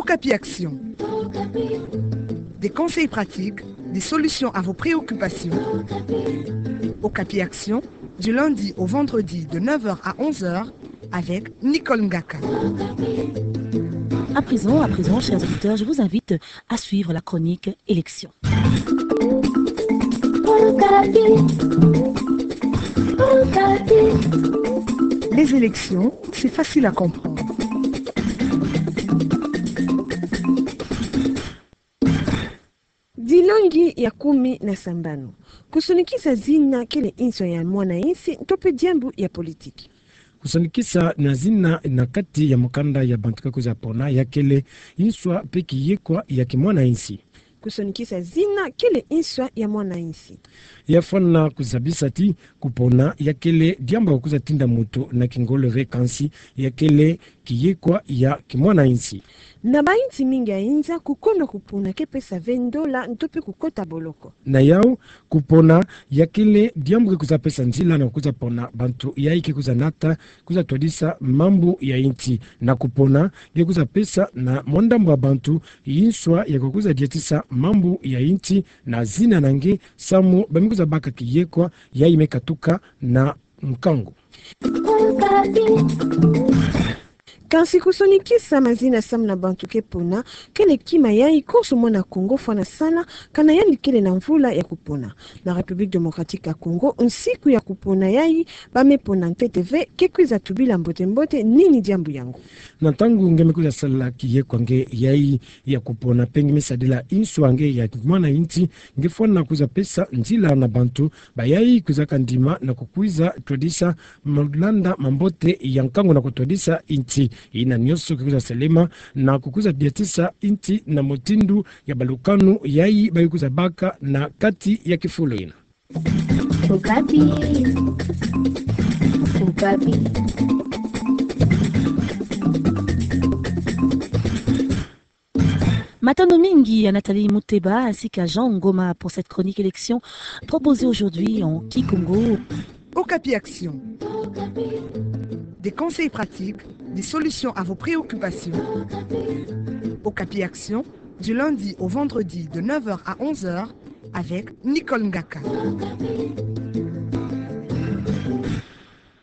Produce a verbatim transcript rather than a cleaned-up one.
Okapi Action. Des conseils pratiques, des solutions à vos préoccupations. Okapi Action, du lundi au vendredi de neuf heures à onze heures avec Nicole Ngaka. À présent, à présent, chers auditeurs, je vous invite à suivre la chronique Élections. Les élections, c'est facile à comprendre. Dilongi ya kumi na sambanu. Kusonikisa zina kele nswa ya mwana-insi nto pe diambu ya politiki. Kusonikisa na zina na kati ya mukanda ya bantu ke kwiza pona ya kele nswa pe kiyekwa ya kimwana-insi. Kusonikisa zina kele nswa ya mwana-insi. Ya fwana kuzabisa ti kupona ya kele diambu ya kwiza tinda muntu na kingolo ve, kansi ya kele kiyekwa ya kimwana-insi. Na ba-insi mingi ya inza, kukono kupona ke pesa ve ndola nto pe kukota boloko. Na yau, kupona ya kele diambu ke kwiza pesa nzila na kwiza pona bantu yai ke kwiza nata, kwiza twadisa mambu ya insi. Na kupona ke kwiza pesa na mwa ndambu ya bantu nswa ya kwiza diatisa mambu ya insi na zina na nge, samu ba me kwiza baka kiyekwa yai me katuka na nkangu. Kansi kusonikisa mazina samu na bantu ke pona, kele kima yai konso mwana Kongo fwana sala, kana yandi kele na mvula ya kupona. Na République Démocratique ya Congo, nsiku ya kupona yai ba me pona ntete ve, ke kwiza tubila mbote-mbote nini diambu yango. Na ntangu nge me kwiza sala kiyekwa nge yai ya kupona pe nge me sadila nswa nge ya mwana-insi, nge fwana kwiza pesa nzila na bantu ba yai kwiza ka ndima na kukwiza twadisa malanda mambote ya nkangu na kutwadisa insi. Yina nyonso ke kwiza salema na kukwiza diatisa insi na mutindu ya balukanu yai ba ke kwiza baka na kati ya kifulu yina. Okapi. Okapi. Matondo mingi à Nathalie Muteba ainsi qu'à Jean Ngoma pour cette chronique élection proposée aujourd'hui en kikongo. Okapi Action. Des conseils pratiques, des solutions à vos préoccupations. Okapi Action, du lundi au vendredi de neuf heures à onze heures avec Nicole Ngaka.